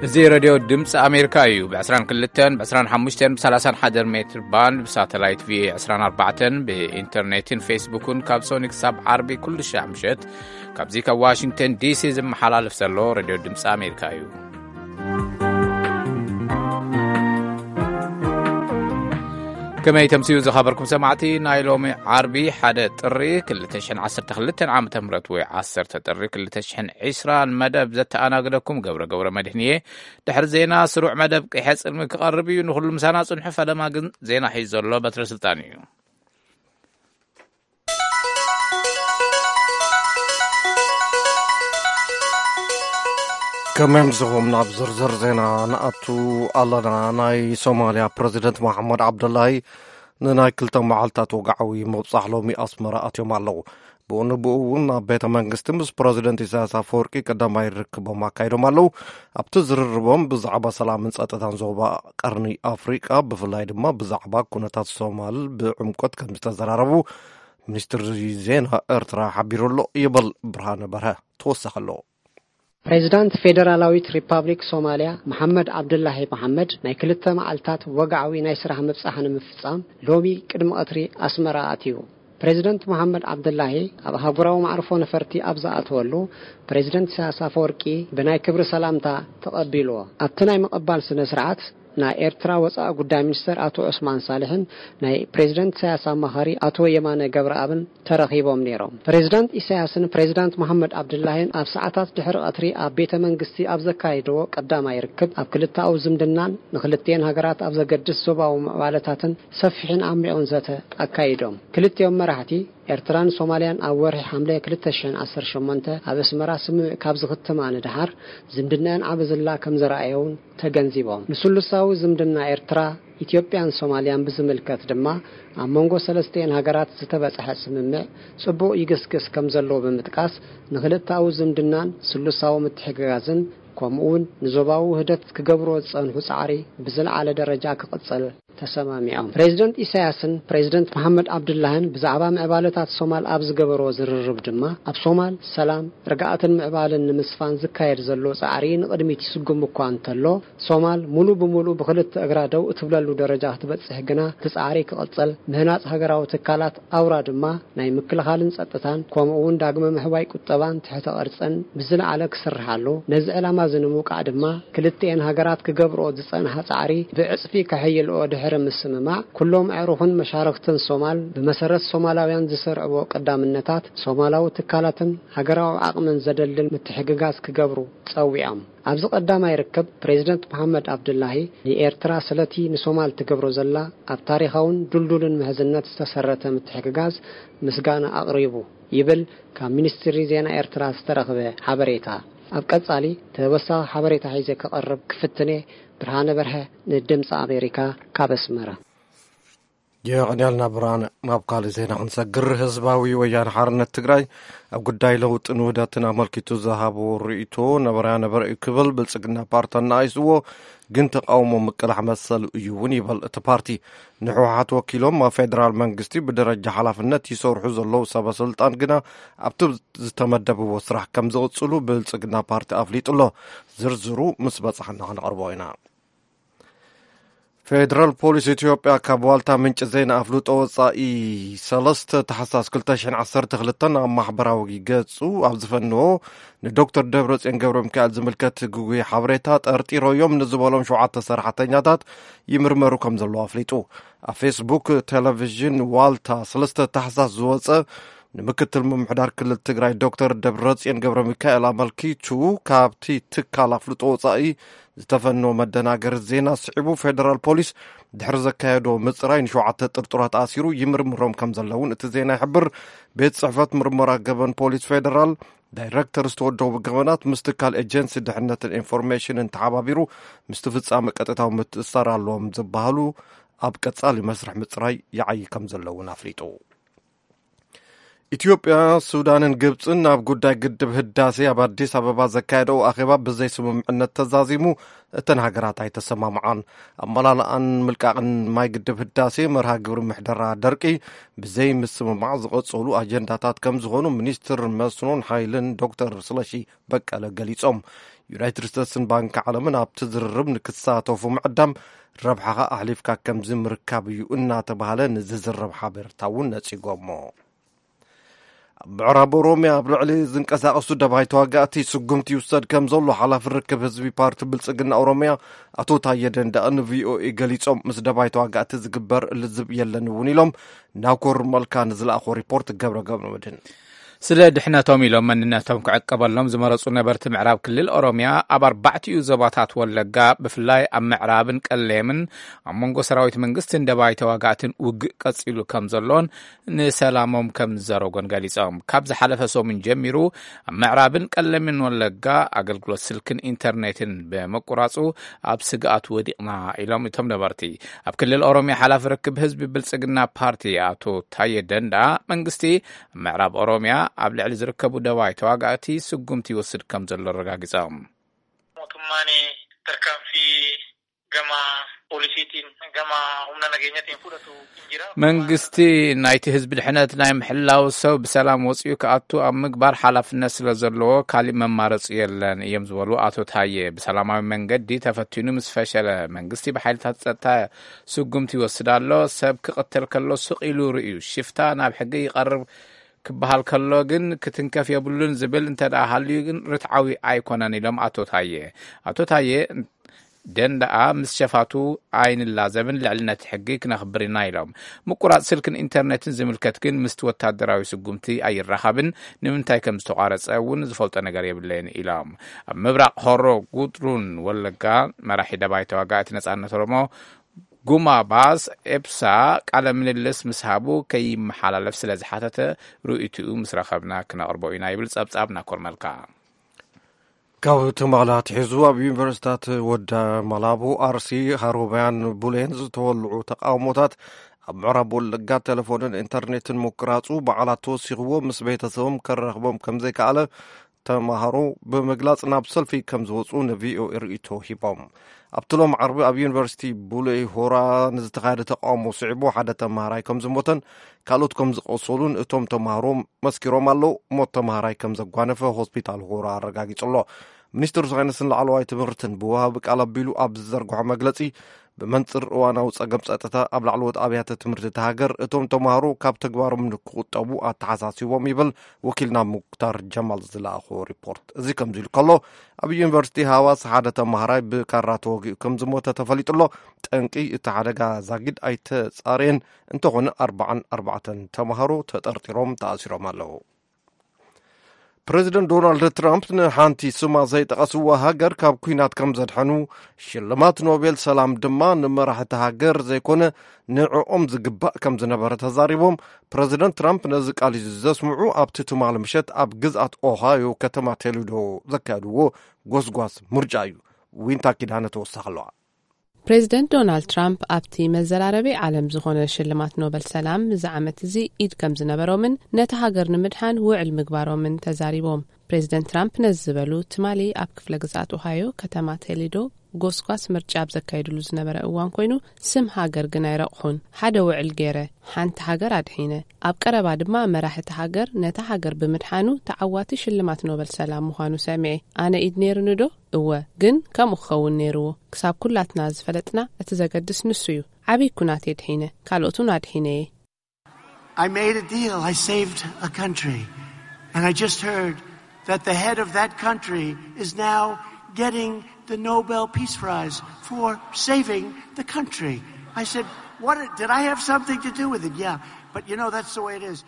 እዚ ሬድዮ ድምፂ ኣሜሪካ እዩ። ብ22፣ ብ25፣ ብ31 ሜትር ባንድ፣ ብሳተላይት ቪኦኤ 24፣ ብኢንተርኔትን ፌስቡክን ካብ ሶኒ ክሳብ ዓርቢ ኩሉ ሻዕ ምሸት ካብዚ ካብ ዋሽንግተን ዲሲ ዝመሓላለፍ ዘሎ ሬድዮ ድምፂ ኣሜሪካ እዩ። ከመይ ተምስዩ ዝኸበርኩም ሰማዕቲ፣ ናይ ሎሚ ዓርቢ ሓደ ጥሪ ክልተ ሽሕን ዓሰርተ ክልተን ዓመተ ምህረት ወይ ዓሰርተ ጥሪ ክልተ ሽሕን ዕስራን መደብ ዘተኣናግደኩም ገብረ ገብረ መድህን እየ። ድሕሪ ዜና ስሩዕ መደብ ቅሐ ጽልሚ ክቐርብ እዩ። ንኹሉ ምሳና ጽንሑ። ፈለማ ግን ዜና ሒዙ ዘሎ በትረ ስልጣን እዩ። ከመይ ኣምሲኹም? ናብ ዝርዝር ዜና ንኣቱ ኣለና። ናይ ሶማልያ ፕረዚደንት መሓመድ ዓብደላሂ ንናይ ክልተ መዓልታት ወግዓዊ ምብጻሕ ሎሚ ኣስመራ ኣትዮም ኣለዉ። ብኡ ንብኡ እውን ኣብ ቤተ መንግስቲ ምስ ፕረዚደንት ኢሳያስ ኣፈወርቂ ቀዳማይ ርክቦም ኣካይዶም ኣለዉ። ኣብቲ ዝርርቦም ብዛዕባ ሰላምን ጸጥታን ዞባ ቀርኒ ኣፍሪቃ፣ ብፍላይ ድማ ብዛዕባ ኩነታት ሶማል ብዕምቆት ከም ዝተዘራረቡ ሚኒስትሪ ዜና ኤርትራ ሓቢሩ ኣሎ ይብል ብርሃነ በርሀ። ተወሳኺ ኣሎ። ፕሬዚዳንት ፌደራላዊት ሪፓብሊክ ሶማልያ መሓመድ ዓብዱላሂ መሓመድ ናይ ክልተ መዓልታት ወግዓዊ ናይ ስራሕ ምብጻሕ ንምፍጻም ሎሚ ቅድሚ ቀትሪ ኣስመራ ኣትዩ። ፕሬዚደንት መሓመድ ዓብዱላሂ ኣብ ኣህጉራዊ መዕርፎ ነፈርቲ ኣብ ዝኣተወሉ፣ ፕሬዚደንት ኢሳያስ ኣፈወርቂ ብናይ ክብሪ ሰላምታ ተቐቢልዎ። ኣብቲ ናይ ምቕባል ስነ ስርዓት ናይ ኤርትራ ወጻኢ ጉዳይ ሚኒስተር ኣቶ ዑስማን ሳልሕን ናይ ፕሬዚደንት ኢሳያስ ኣማኻሪ ኣቶ የማነ ገብረኣብን ተረኺቦም ነይሮም። ፕሬዚዳንት ኢሳያስን ፕሬዚዳንት መሓመድ ዓብዱላሂን ኣብ ሰዓታት ድሕሪ ቀትሪ ኣብ ቤተ መንግስቲ ኣብ ዘካየድዎ ቀዳማይ ርክብ፣ ኣብ ክልተኣዊ ዝምድናን ንክልቲኤን ሃገራት ኣብ ዘገድስ ዞባዊ ምዕባለታትን ሰፊሕን ዓሚቑን ዘተ ኣካይዶም። ክልቲኦም መራሕቲ፣ ኤርትራን ሶማልያን ኣብ ወርሒ ሓምለ ክልተ ሽሕን ዓሰርተ ሸሞንተ ኣብ ኣስመራ ስምምዕ ካብ ዝኽትማ ንደሓር፣ ዝምድናኣን ዓቢ ዝላ ከም ዘረኣየ እውን ተገንዚቦም። ንስሉሳዊ ዝምድና ኤርትራ፣ ኢትዮጵያን ሶማልያን ብዝምልከት ድማ፣ ኣብ መንጎ ሰለስቲኤን ሃገራት ዝተበጽሐ ስምምዕ ጽቡቕ ይግስግስ ከም ዘሎ ብምጥቃስ፣ ንክልተኣዊ ዝምድናን ስሉሳዊ ምትሕግጋዝን፣ ከምኡውን ንዞባዊ ውህደት ክገብርዎ ዝጸንሑ ጻዕሪ ብዝለዓለ ደረጃ ክቕጽል ተሰማሚዖም። ፕሬዚደንት ኢሳያስን ፕሬዚደንት መሓመድ ዓብዱላህን ብዛዕባ ምዕባለታት ሶማል ኣብ ዝገበርዎ ዝርርብ ድማ፣ ኣብ ሶማል ሰላም፣ ርግኣትን ምዕባልን ንምስፋን ዝካየድ ዘሎ ጻዕሪ ንቕድሚት ይስጉም እኳ እንተሎ፣ ሶማል ሙሉ ብሙሉ ብኽልተ እግራ ደው እትብለሉ ደረጃ ክትበጽሕ ግና እቲ ጻዕሪ ክቕጽል፣ ምህናጽ ሃገራዊ ትካላት ኣውራ ድማ ናይ ምክልኻልን ጸጥታን፣ ከምኡ እውን ዳግመ ምሕዋይ ቁጠባን ትሕተ ቅርጽን ብዝለዓለ ክስርሓሉ፣ ነዚ ዕላማ እዚ ንምውቃዕ ድማ ክልቲኤን ሃገራት ክገብርኦ ዝጸንሓ ጻዕሪ ብዕጽፊ ከሐይልኦ ድሕሪ ምስምማዕ፣ ኩሎም ኣዕሩኽን መሻርኽትን ሶማል ብመሰረት ሶማላውያን ዝሰርዕዎ ቀዳምነታት ሶማላዊ ትካላትን ሃገራዊ ዓቕምን ዘደልድል ምትሕግጋዝ ክገብሩ ጸዊዖም። ኣብዚ ቀዳማይ ርክብ፣ ፕሬዚደንት መሓመድ ዓብዱላሂ ንኤርትራ ስለቲ ንሶማል ትገብሮ ዘላ ኣብ ታሪኻውን ድልዱልን ምሕዝነት ዝተሰረተ ምትሕግጋዝ ምስጋና ኣቕሪቡ ይብል ካብ ሚኒስትሪ ዜና ኤርትራ ዝተረኽበ ሓበሬታ። ኣብ ቀጻሊ ተወሳኺ ሓበሬታ ሒዘ ክቐርብ ክፍትኔ። ብርሃነ በርሀ ንድምፂ ኣሜሪካ ካብ ኣስመራ። የቐንያልና ብርሃነ። ናብ ካልእ ዜና ክንሰግር፣ ህዝባዊ ወያነ ሓርነት ትግራይ ኣብ ጉዳይ ለውጥን ውህደትን ኣመልኪቱ ዝሃቦ ርእይቶ ነበረያ ነበረ እዩ ክብል ብልጽግና ፓርቲ ኣነኣይስዎ፣ ግን ተቃውሞ ምቅላሕ መሰል እዩ እውን ይበል እቲ ፓርቲ። ንህወሓት ወኪሎም ኣብ ፌደራል መንግስቲ ብደረጃ ሓላፍነት ይሰርሑ ዘለዉ ሰበ ስልጣን ግና ኣብቲ ዝተመደብዎ ስራሕ ከም ዝቕጽሉ ብልጽግና ፓርቲ ኣፍሊጡ ኣሎ። ዝርዝሩ ምስ በጻሕና ክንቐርቦ ኢና። ፌደራል ፖሊስ ኢትዮጵያ ካብ ዋልታ ምንጪ ዜና ኣፍልጦ ወጻኢ ሰለስተ ታሕሳስ ክልተ ሽሕን ዓሰርተ ክልተን ኣብ ማሕበራዊ ገጹ ኣብ ዝፈነዎ ንዶክተር ደብረጽዮን ገብረ ሚካኤል ዝምልከት ግጉይ ሓበሬታ ጠርጢሮዮም ንዝበሎም ሸውዓተ ሰራሕተኛታት ይምርመሩ ከም ዘለዉ ኣፍሊጡ። ኣብ ፌስቡክ ቴሌቪዥን ዋልታ ሰለስተ ታሕሳስ ዝወጸ ንምክትል ምምሕዳር ክልል ትግራይ ዶክተር ደብረጽዮን ገብረ ሚካኤል ኣመልኪቱ፣ ካብቲ ትካል ኣፍልጦ ወጻኢ ዝተፈነወ መደናገሪ ዜና ስዒቡ ፌደራል ፖሊስ ድሕሪ ዘካየዶ ምጽራይ ንሸውዓተ ጥርጡራት ኣሲሩ ይምርምሮም ከም ዘለውን እቲ ዜና ይሕብር። ቤት ጽሕፈት ምርመራ ገበን ፖሊስ ፌደራል ዳይሬክተር ዝተወደቡ ገበናት ምስ ትካል ኤጀንሲ ድሕነትን ኢንፎርሜሽንን ተሓባቢሩ ምስቲ ፍጻመ ቀጥታዊ ምትእስሳር ኣለዎም ዝበሃሉ ኣብ ቀጻሊ መስርሕ ምጽራይ ይዓዪ ከም ዘሎ እውን ኣፍሊጡ። ኢትዮጵያ፣ ሱዳንን ግብፅን ኣብ ጉዳይ ግድብ ህዳሴ ኣብ ኣዲስ ኣበባ ዘካየደው ኣኼባ ብዘይ ስምምዕነት ተዛዚሙ፣ እተን ሃገራት ኣይተሰማምዓን። ኣመላልኣን ምልቃቕን ማይ ግድብ ህዳሴ፣ መርሃ ግብሪ ምሕደራ ደርቂ፣ ብዘይ ምስምማዕ ዝቐጸሉ ኣጀንዳታት ከም ዝኾኑ ሚኒስትር መስኖን ሓይልን ዶክተር ስለሺ በቀለ ገሊጾም። ዩናይትድ ስቴትስን ባንኪ ዓለምን ኣብቲ ዝርርብ ንክሳተፉ ምዕዳም፣ ረብሓኻ ኣሕሊፍካ ከምዚ ምርካብ እዩ እናተባህለ ንዝዝረብ ሓበሬታ እውን ነጺጎሞ። ኣብ ምዕራብ ኦሮምያ ኣብ ልዕሊ ዝንቀሳቐሱ ደባይ ተዋጋእቲ ስጉምቲ ይውሰድ ከም ዘሎ ሓላፊ ርክብ ህዝቢ ፓርቲ ብልጽግና ኦሮምያ ኣቶ ታየ ደንዳእ ንቪኦኤ ገሊጾም። ምስ ደባይ ተዋጋእቲ ዝግበር ልዝብ የለን እውን ኢሎም። ናኮር መልካ ንዝለኣኾ ሪፖርት ገብረ ገብረ መድህን። ስለ ድሕነቶም ኢሎም መንነቶም ክዕቀበሎም ዝመረጹ ነበርቲ ምዕራብ ክልል ኦሮምያ ኣብ ኣርባዕቲኡ ዞባታት ወለጋ፣ ብፍላይ ኣብ ምዕራብን ቀሌምን፣ ኣብ መንጎ ሰራዊት መንግስትን ደባይ ተዋጋእትን ውግእ ቀጺሉ ከም ዘሎን ንሰላሞም ከም ዝዘረጎን ገሊጾም። ካብ ዝሓለፈ ሰሙን ጀሚሩ ኣብ ምዕራብን ቀለምን ወለጋ ኣገልግሎት ስልክን ኢንተርኔትን ብምቁራጹ ኣብ ስግኣት ወዲቕና ኢሎም እቶም ነበርቲ። ኣብ ክልል ኦሮምያ ሓላፊ ርክብ ህዝቢ ብልጽግና ፓርቲ ኣቶ ታየ ደንዳ፣ መንግስቲ ኣብ ምዕራብ ኦሮምያ ኣብ ልዕሊ ዝርከቡ ደባይ ተዋጋእቲ ስጉምቲ ይወስድ ከም ዘሎ ኣረጋጊጾም። Mootummaan tarkaanfii gama poolisiitiin, gama humna nageenyatiin fudhatu hin jira. መንግስቲ ናይቲ ህዝቢ ድሕነት ናይ ምሕላው፣ ሰብ ብሰላም ወፂኡ ክኣቱ ኣብ ምግባር ሓላፍነት ስለ ዘለዎ ካሊእ መማረፂ የለን እዮም ዝበሉ ኣቶ ታየ፣ ብሰላማዊ መንገዲ ተፈቲኑ ምስ ፈሸለ መንግስቲ ብሓይልታት ፀጥታ ስጉምቲ ይወስድ ኣሎ። ሰብ ክቕተል ከሎ ስቕ ኢሉ ርእዩ ሽፍታ ናብ ሕጊ ይቐርብ ክበሃል ከሎ ግን ክትንከፍ የብሉን ዝብል እንተ ደኣ ሃልዩ ግን ርትዓዊ ኣይኮነን ኢሎም ኣቶ ታየ። ኣቶ ታየ ደንደኣ ምስ ሸፋቱ ኣይንላዘብን፣ ልዕልነት ሕጊ ክነኽብር ኢና ኢሎም። ምቁራጽ ስልክን ኢንተርኔትን ዝምልከት ግን ምስቲ ወታደራዊ ስጉምቲ ኣይራኸብን፣ ንምንታይ ከም ዝተቋረጸ እውን ዝፈልጦ ነገር የብለይን ኢሎም። ኣብ ምብራቕ ሆሮ ጉድሩን ወለጋ መራሒ ደባይ ተዋጋእቲ ነጻነት ኦሮሞ ጉማ ባስ ኤብሳ ቃለ ምልልስ ምስ ሃቡ ከይመሓላለፍ ስለ ዝሓተተ ርእይትኡ ምስ ረኸብና ክነቕርቦ ኢና ይብል ጸብጻብ ናኮር መልካ። ካብ ትማሊ ኣትሒዙ ኣብ ዩኒቨርሲታት ወደ መላቡ፣ ኣርሲ፣ ሃሮማያን ቡሌን ዝተወልዑ ተቃውሞታት ኣብ ምዕራብ ወለጋ ቴሌፎንን ኢንተርኔትን ምቁራጹ በዓላት ተወሲኽዎ ምስ ቤተሰቦም ከራኽቦም ከም ዘይከኣለ ተማሃሮ ብምግላጽ ናብ ሰልፊ ከም ዝወጹ ንቪኦኤ ርእይቶ ሂቦም። ኣብቲ ሎም ዓርቢ ኣብ ዩኒቨርሲቲ ቡሌ ሆራ ንዝተኻየደ ተቃውሞ ስዒቡ ሓደ ተማሃራይ ከም ዝሞተን ካልኦት ከም ዝቆሰሉን እቶም ተማሃሮ መስኪሮም ኣለዉ። ሞት ተማሃራይ ከም ዘጓነፈ ሆስፒታል ሆራ ኣረጋጊጹ ኣሎ። ሚኒስትሪ ሳይንስን ላዕለዋይ ትምህርትን ብወሃቢ ቃል ኣቢሉ ኣብ ዝዘርግሖ መግለጺ፣ ብመንጽር እዋናዊ ጸገም ጸጥታ ኣብ ላዕለዎት ኣብያተ ትምህርቲ እታ ሃገር እቶም ተማሃሮ ካብ ተግባሮም ንክቑጠቡ ኣተሓሳሲቦም ይብል ወኪልና ሙክታር ጀማል ዝለኣኾ ሪፖርት። እዚ ከምዚ ኢሉ ከሎ፣ ኣብ ዩኒቨርሲቲ ሃዋስ ሓደ ተማሃራይ ብካራ ተወጊኡ ከም ዝሞተ ተፈሊጡ ኣሎ። ጠንቂ እቲ ሓደጋ ዛጊድ ኣይተጻረየን። እንተኾነ ኣርባዓን ኣርባዕተን ተማሃሮ ተጠርጢሮም ተኣሲሮም ኣለዉ። ፕረዚደንት ዶናልድ ትራምፕ ንሓንቲ ስማ ዘይጠቐስዋ ሃገር ካብ ኲናት ከም ዘድሐኑ፣ ሽልማት ኖቤል ሰላም ድማ ንመራሕቲ ሃገር ዘይኮነ ንዕኦም ዝግባእ ከም ዝነበረ ተዛሪቦም። ፕረዚደንት ትራምፕ ነዚ ቃል እዩ ዘስምዑ ኣብቲ ትማሊ ምሸት ኣብ ግዝኣት ኦሃዮ ከተማ ቶሌዶ ዘካየድዎ ጎስጓስ ምርጫ እዩ። ዊንታ ኪዳነ ተወሳኺ ኣለዋ። ፕሬዚደንት ዶናልድ ትራምፕ ኣብቲ መዘራረቢ ዓለም ዝኾነ ሽልማት ኖበል ሰላም እዚ ዓመት እዚ ኢድ ከም ዝነበሮምን ነቲ ሃገር ንምድሓን ውዕል ምግባሮምን ተዛሪቦም። ፕሬዚደንት ትራምፕ ነዚ ዝበሉ ትማሊ ኣብ ክፍለ ግዝኣት ኦሃዮ ከተማ ቶሌዶ ጎስጓስ ምርጫ ኣብ ዘካየድሉ ዝነበረ እዋን ኮይኑ፣ ስም ሃገር ግን ኣይረቕሑን። ሓደ ውዕል ገይረ፣ ሓንቲ ሃገር ኣድሒነ፣ ኣብ ቀረባ ድማ መራሒ እቲ ሃገር ነታ ሃገር ብምድሓኑ ተዓዋቲ ሽልማት ኖበል ሰላም ምዃኑ ሰሚዐ። ኣነ ኢድ ነይሩኒ ዶ? እወ፣ ግን ከምኡ ክኸውን ነይርዎ። ክሳብ ኩላትና ዝፈለጥና እቲ ዘገድስ ንሱ እዩ። ዓብዪ ኩናት የድሒነ፣ ካልኦት እውን ኣድሒነ እየ። I made a deal. I saved a country. And I just heard that the head of that country is now getting the Nobel Peace Prize for saving the country. I said, what did I have something to do with it? Yeah, but you know, that's the way it is.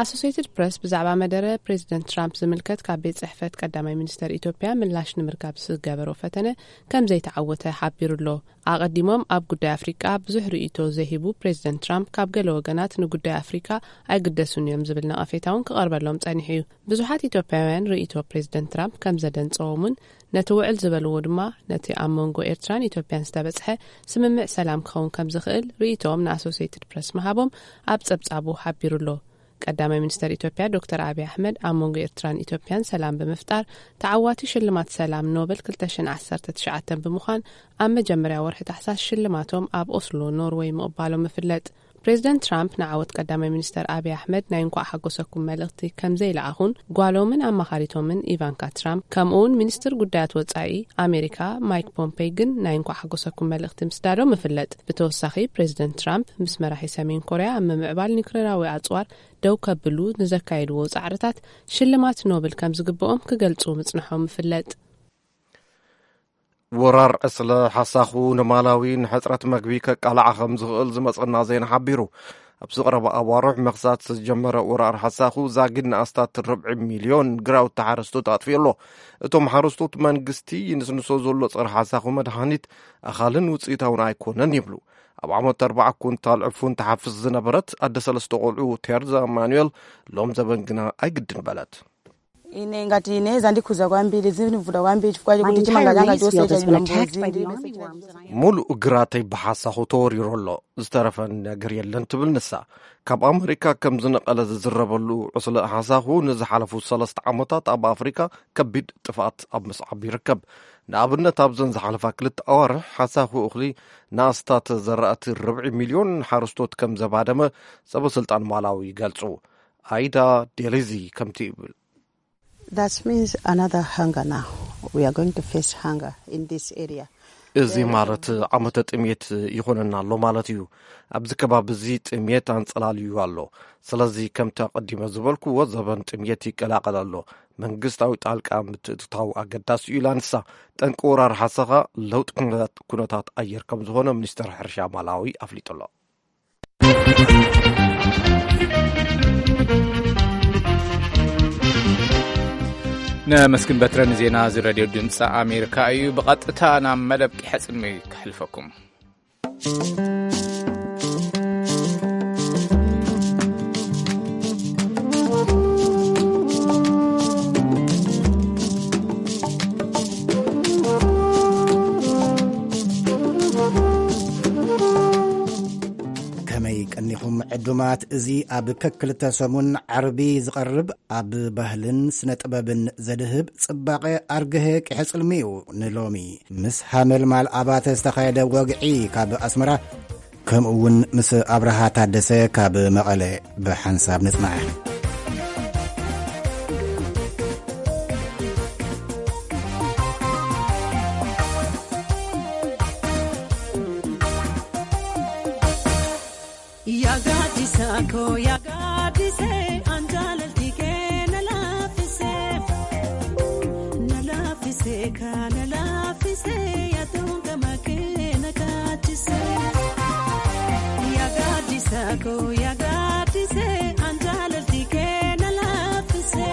ኣሶሴትድ ፕረስ ብዛዕባ መደረ ፕሬዚደንት ትራምፕ ዝምልከት ካብ ቤት ጽሕፈት ቀዳማይ ሚኒስተር ኢትዮጵያ ምላሽ ንምርካብ ዝገበሮ ፈተነ ከም ዘይተዓወተ ሓቢሩ ኣሎ። ኣቐዲሞም ኣብ ጉዳይ ኣፍሪቃ ብዙሕ ርእይቶ ዘይህቡ ፕሬዚደንት ትራምፕ ካብ ገለ ወገናት ንጉዳይ ኣፍሪቃ ኣይግደሱን እዮም ዝብል ነቐፌታ እውን ክቐርበሎም ጸኒሑ እዩ። ብዙሓት ኢትዮጵያውያን ርእይቶ ፕሬዚደንት ትራምፕ ከም ዘደንጸዎም እውን ነቲ ውዕል ዝበልዎ ድማ ነቲ ኣብ መንጎ ኤርትራን ኢትዮጵያን ዝተበጽሐ ስምምዕ ሰላም ክኸውን ከም ዝኽእል ርእይቶኦም ንኣሶሴትድ ፕረስ ምሃቦም ኣብ ጸብጻቡ ሓቢሩ ኣሎ። ቀዳማይ ሚኒስተር ኢትዮጵያ ዶክተር ኣብይ ኣሕመድ ኣብ መንጎ ኤርትራን ኢትዮጵያን ሰላም ብምፍጣር ተዓዋቲ ሽልማት ሰላም ኖበል ክልተ ሽሕን ዓሰርተ ትሽዓተን ብምዃን ኣብ መጀመርያ ወርሒ ታሕሳስ ሽልማቶም ኣብ ኦስሎ ኖርወይ ምቕባሎም ይፍለጥ። ፕሬዚደንት ትራምፕ ንዓወት ቀዳማይ ሚኒስተር ኣብይ ኣሕመድ ናይ እንኳዕ ሓጎሰኩም መልእኽቲ ከም ዘይለኣኹን ጓሎምን ኣማኻሪቶምን ኢቫንካ ትራምፕ ከምኡውን ሚኒስትር ጉዳያት ወጻኢ ኣሜሪካ ማይክ ፖምፔይ ግን ናይ እንኳዕ ሓጎሰኩም መልእኽቲ ምስዳዶም ይፍለጥ። ብተወሳኺ ፕሬዚደንት ትራምፕ ምስ መራሒ ሰሜን ኮርያ ኣብ ምምዕባል ኒውክሌራዊ ኣጽዋር ደው ከብሉ ንዘካየድዎ ጻዕርታት ሽልማት ኖብል ከም ዝግብኦም ክገልጹ ምጽንሖም ይፍለጥ። ወራር ዕስለ ሓሳኹ ንማላዊ ንሕፅረት መግቢ ከቃልዓ ከም ዝኽእል ዝመፀና ዜና ሓቢሩ። ኣብዚ ቀረባ ኣዋርሕ ምኽሳት ዝጀመረ ወራር ሓሳኹ ዛጊድ ንኣስታት ርብዒ ሚልዮን ግራውቲ ሓረስቶት ኣጥፊኡ ኣሎ። እቶም ሓረስቶት መንግስቲ ይንስንሶ ዘሎ ፀረ ሓሳኹ መድሃኒት ኣኻልን ውፅኢታውን ኣይኮነን ይብሉ። ኣብ ዓመት ኣርባዓ ኩንታል ዕፉን ትሓፍስ ዝነበረት ኣደ ሰለስተ ቆልዑ ቴርዛ ማኑኤል ሎም ዘበን ግና ኣይግድን በለት። Ine ngati ine zandikhuza kwambiri, zindivula kwambiri chifukwa chikuti chimanga changa chose chachina mbuzi. ሙሉእ ግራተይ ብሓሳኹ ተወሪሩ ኣሎ፣ ዝተረፈ ነገር የለን ትብል ንሳ። ካብ ኣመሪካ ከም ዝነቐለ ዝዝረበሉ ዕስለ ሓሳኹ ንዝሓለፉ ሰለስተ ዓመታት ኣብ ኣፍሪካ ከቢድ ጥፍኣት ኣብ ምስዓብ ይርከብ። ንኣብነት ኣብዘን ዝሓለፋ ክልተ ኣዋርሕ ሓሳኹ እኽሊ ንኣስታት ዘራእቲ ርብዒ ሚልዮን ሓረስቶት ከም ዘባደመ ሰበ ስልጣን ማላዊ ይገልጹ። ኣይዳ ዴሊዚ ከምቲ ይብል። That means another hunger now. We are going to face hunger in this area. እዚ ማለት ዓመተ ጥምየት ይኾነና ኣሎ ማለት እዩ። ኣብዚ ከባቢ እዚ ጥምየት ኣንጸላልዩ ኣሎ። ስለዚ ከምቲ ኣቐዲመ ዝበልኩዎ ዘበን ጥምየት ይቀላቐል ኣሎ። መንግስታዊ ጣልቃ ምትእትታው ኣገዳሲ እዩ ኢላ ንሳ። ጠንቂ ወራር ሓሰኻ ለውጢ ኩነታት ኣየር ከም ዝኾነ ሚኒስተር ሕርሻ ማላዊ ኣፍሊጡ ኣሎ። ነመስግን በትረ ንዜና እዚ ሬድዮ ድምፂ ኣሜሪካ እዩ። ብቐጥታ ናብ መደብ ቂሐ ጽልሚ ከሕልፈኩም። ከመይ ቀኒኹም ዕዱማት? እዚ ኣብ ከክልተ ሰሙን ዓርቢ ዝቐርብ ኣብ ባህልን ስነ ጥበብን ዘድህብ ጽባቐ ኣርግሀ ቂሐ ጽልሚ እዩ። ንሎሚ ምስ ሃመልማል ኣባተ ዝተኻየደ ወግዒ ካብ ኣስመራ፣ ከምኡ እውን ምስ ኣብርሃ ታደሰ ካብ መቐለ ብሓንሳብ ንጽናዕ። Yagadisako yagadise anjalaltike nalafise nalafise ka nalafise yatunga makena kachise. Yagadisako yagadise anjalaltike nalafise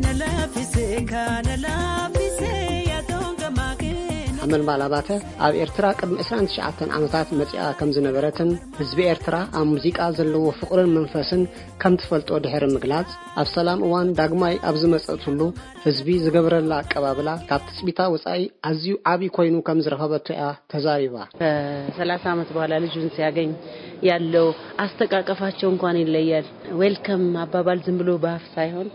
nalafise ka nalafise yatunga makena. ሓመልማል ኣባተ ኣብ ኤርትራ ቅድሚ ዕስራን ትሽዓተን ዓመታት መጺኣ ከም ዝነበረትን ህዝቢ ኤርትራ ኣብ ሙዚቃ ዘለዎ ፍቕርን መንፈስን ከም ትፈልጦ ድሕሪ ምግላጽ፣ ኣብ ሰላም እዋን ዳግማይ ኣብ ዝመጸትሉ ህዝቢ ዝገብረላ ኣቀባብላ ካብ ትጽቢታ ወጻኢ ኣዝዩ ዓቢ ኮይኑ ከም ዝረኸበቶ እያ ተዛሪባ። ከ ሰላሳ ዓመት በኋላ ልጁን ሲያገኝ ያለው አስተቃቀፋቸው እንኳን ይለያል። ዌልከም አባባል ዝም ብሎ በአፍ ሳይሆን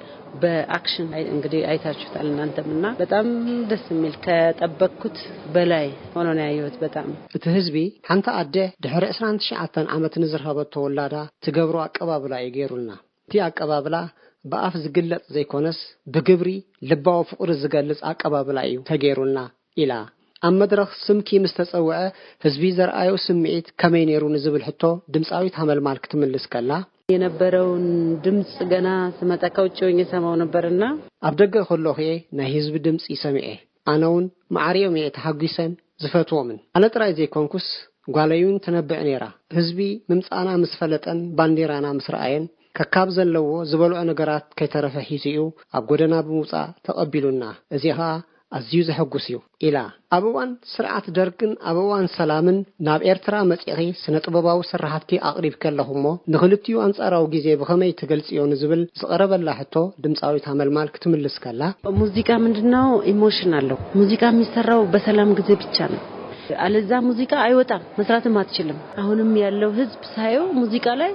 በአክሽን እንግዲህ አይታችሁታል እናንተም እና በጣም ደስ የሚል ከጠበቅኩት በላይ ሆኖ ነው ያየሁት። በጣም እቲ ህዝቢ ሓንቲ ኣደ ድሕሪ ዕስራን ትሽዓተን ዓመት ንዝረኸበቶ ወላዳ ትገብሮ ኣቀባብላ እዩ ገይሩልና። እቲ ኣቀባብላ ብኣፍ ዝግለጽ ዘይኮነስ ብግብሪ ልባዊ ፍቕሪ ዝገልጽ ኣቀባብላ እዩ ተገይሩልና ኢላ። ኣብ መድረኽ ስምኪ ምስ ተጸውዐ ህዝቢ ዘርኣዮ ስምዒት ከመይ ነይሩ ንዝብል ሕቶ ድምጻዊት ሃመልማል ክትምልስ ከላ፣ የነበረውን ድምጽ ገና ስመጣ ከውጭ ሆኜ ሰማው ነበርና። ኣብ ደገ ከለኹ እየ ናይ ህዝቢ ድምጺ ሰሚዐ። ኣነውን መዓርዮም እየ ተሓጒሰን ዝፈትዎምን። ኣነ ጥራይ ዘይኮንኩስ ጓለይውን ተነብዕ ነይራ። ህዝቢ ምምጻእና ምስ ፈለጠን ባንዴራና ምስ ረኣየን ከካብ ዘለዎ ዝበልዖ ነገራት ከይተረፈ ሒዙ እዩ ኣብ ጎደና ብምውጻእ ተቐቢሉና። እዚ ኸኣ ኣዝዩ ዘሐጉስ እዩ ኢላ። ኣብ እዋን ስርዓት ደርግን ኣብ እዋን ሰላምን ናብ ኤርትራ መጺኺ ስነ ጥበባዊ ስርሓትኪ ኣቕሪብኪ ኣለኹ እሞ ንኽልቲኡ ኣንጻራዊ ግዜ ብኸመይ ትገልጽዮ ንዝብል ዝቐረበላ ሕቶ ድምጻዊት ሃመልማል ክትምልስ ከላ፣ ሙዚቃ ምንድነው ኢሞሽን አለው። ሙዚቃ የሚሰራው በሰላም ጊዜ ብቻ ነው። አለዛ ሙዚቃ አይወጣም፣ መስራትም አትችልም። አሁንም ያለው ህዝብ ሳየው ሙዚቃ ላይ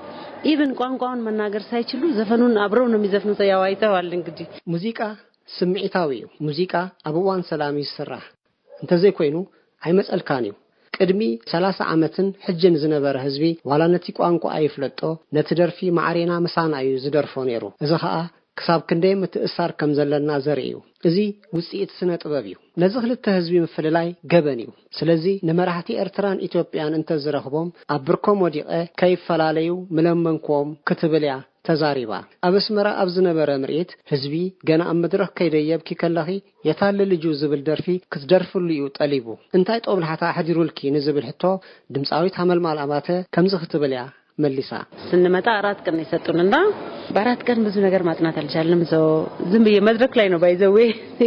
ኢቭን ቋንቋውን መናገር ሳይችሉ ዘፈኑን አብረው ነው የሚዘፍኑት። ያው አይተዋል እንግዲህ። ሙዚቃ ስምዒታዊ እዩ። ሙዚቃ ኣብ እዋን ሰላም እዩ ዝስራሕ። እንተዘይኮይኑ ኣይመጸልካን እዩ። ቅድሚ ሰላሳ ዓመትን ሕጅን ዝነበረ ህዝቢ ዋላ ነቲ ቋንቋ ኣይፍለጦ፣ ነቲ ደርፊ ማዕሬና ምሳና እዩ ዝደርፎ ነይሩ። እዚ ኸኣ ክሳብ ክንደይ ምትእሳር ከም ዘለና ዘርኢ እዩ። እዚ ውጽኢት ስነ ጥበብ እዩ። ነዚ ክልተ ህዝቢ ምፍልላይ ገበን እዩ። ስለዚ ንመራሕቲ ኤርትራን ኢትዮጵያን እንተዝረኽቦም ኣብ ብርኮም ወዲቐ ከይፈላለዩ ምለመንክዎም ክትብል እያ ተዛሪባ። ኣብ ኣስመራ ኣብ ዝነበረ ምርኢት ህዝቢ ገና ኣብ መድረኽ ከይደየብኪ ከለኺ የታለ ልጁ ዝብል ደርፊ ክትደርፍሉ እዩ ጠሊቡ። እንታይ ጦብላሕታ ኣሕዲሩልኪ ንዝብል ሕቶ ድምፃዊት ሃመልማል ኣባተ ከምዚ ክትብል እያ መሊሳ። ስንመጣ አራት ቀን ነው የሰጡንና በአራት ቀን ብዙ ነገር ማጥናት አልቻልንም። ሰው ዝም ብዬ መድረክ ላይ ነው ባይዘዌ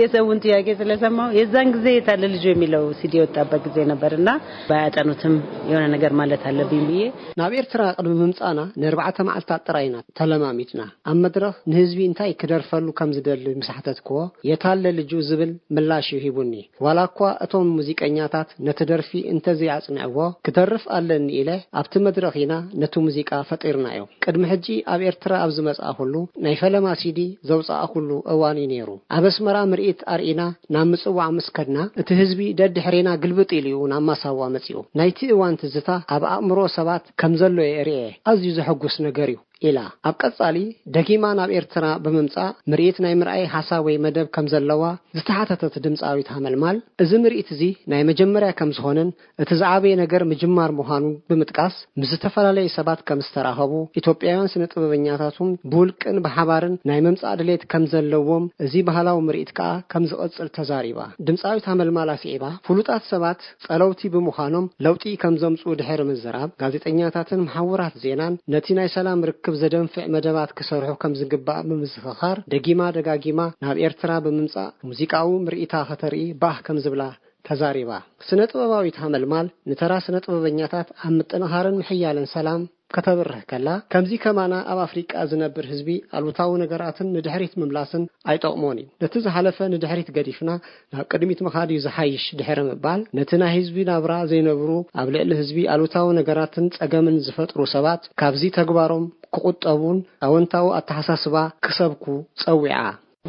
የሰውን ጥያቄ ስለሰማው የዛን ጊዜ የታለ ልጁ የሚለው ሲዲ የወጣበት ጊዜ ነበርና ባያጠኑትም የሆነ ነገር ማለት አለብኝ ብዬ ናብ ኤርትራ ቅድሚ ምምጻና ንኣርባዕተ መዓልታት ጥራይ ኢና ተለማሚድና። ኣብ መድረኽ ንህዝቢ እንታይ ክደርፈሉ ከም ዝደሊ ምስ ሓተትክዎ፣ የታለ ልጁ ዝብል ምላሽ እዩ ሂቡኒ። ዋላ እኳ እቶም ሙዚቀኛታት ነቲ ደርፊ እንተዘይኣጽንዕዎ፣ ክደርፍ ኣለኒ ኢለ ኣብቲ መድረኽ ኢና ነቲ ሙዚቃ ፈጢርናዮ። ቅድሚ ሕጂ ኣብ ኤርትራ ኣብ ዝመጽኣኹሉ ናይ ፈለማ ሲዲ ዘውጻእኹሉ እዋን እዩ ነይሩ። ኣብ ኣስመራ ምርኢት ኣርኢና ናብ ምጽዋዕ ምስ ከድና፣ እቲ ህዝቢ ደድሕሬና ግልብጥ ኢሉ እዩ ናብ ማሳዋ መጺኡ። ናይቲ እዋን ትዝታ ኣብ ኣእምሮ ሰባት ከም ዘሎ እየ ርእየ። ኣዝዩ ዘሐጉስ ነገር እዩ ኢላ። ኣብ ቀጻሊ ደጊማ ናብ ኤርትራ ብምምጻእ ምርኢት ናይ ምርኣይ ሓሳብ ወይ መደብ ከም ዘለዋ ዝተሓተተት ድምጻዊት ሃመልማል፣ እዚ ምርኢት እዚ ናይ መጀመርያ ከም ዝኾነን እቲ ዝዓበየ ነገር ምጅማር ምዃኑ ብምጥቃስ፣ ምስ ዝተፈላለዩ ሰባት ከም ዝተራኸቡ፣ ኢትዮጵያውያን ስነ ጥበበኛታትን ብውልቅን ብሓባርን ናይ ምምጻእ ድሌት ከም ዘለዎም፣ እዚ ባህላዊ ምርኢት ከኣ ከም ዝቐጽል ተዛሪባ። ድምጻዊት ሃመልማል ኣስዒባ፣ ፍሉጣት ሰባት ጸለውቲ ብምዃኖም ለውጢ ከም ዘምጽኡ ድሕሪ ምዝራብ፣ ጋዜጠኛታትን መሓውራት ዜናን ነቲ ናይ ሰላም ርክብ ዘደንፍዕ መደባት ክሰርሑ ከም ዝግባእ ብምዝኽኻር፣ ደጊማ ደጋጊማ ናብ ኤርትራ ብምምጻእ ሙዚቃዊ ምርኢታ ከተርኢ ባህ ከም ዝብላ ተዛሪባ። ስነ ጥበባዊት ሃመልማል ንተራ ስነ ጥበበኛታት ኣብ ምጥንኻርን ምሕያልን ሰላም ከተብርህ ከላ፣ ከምዚ ከማና ኣብ ኣፍሪቃ ዝነብር ህዝቢ ኣሉታዊ ነገራትን ንድሕሪት ምምላስን ኣይጠቕሞን እዩ። ነቲ ዝሓለፈ ንድሕሪት ገዲፍና ናብ ቅድሚት ምኻድ እዩ ዝሓይሽ ድሕሪ ምባል፣ ነቲ ናይ ህዝቢ ናብራ ዘይነብሩ፣ ኣብ ልዕሊ ህዝቢ ኣሉታዊ ነገራትን ጸገምን ዝፈጥሩ ሰባት ካብዚ ተግባሮም ክቑጠቡን ኣወንታዊ ኣተሓሳስባ ክሰብኩ ጸዊዓ።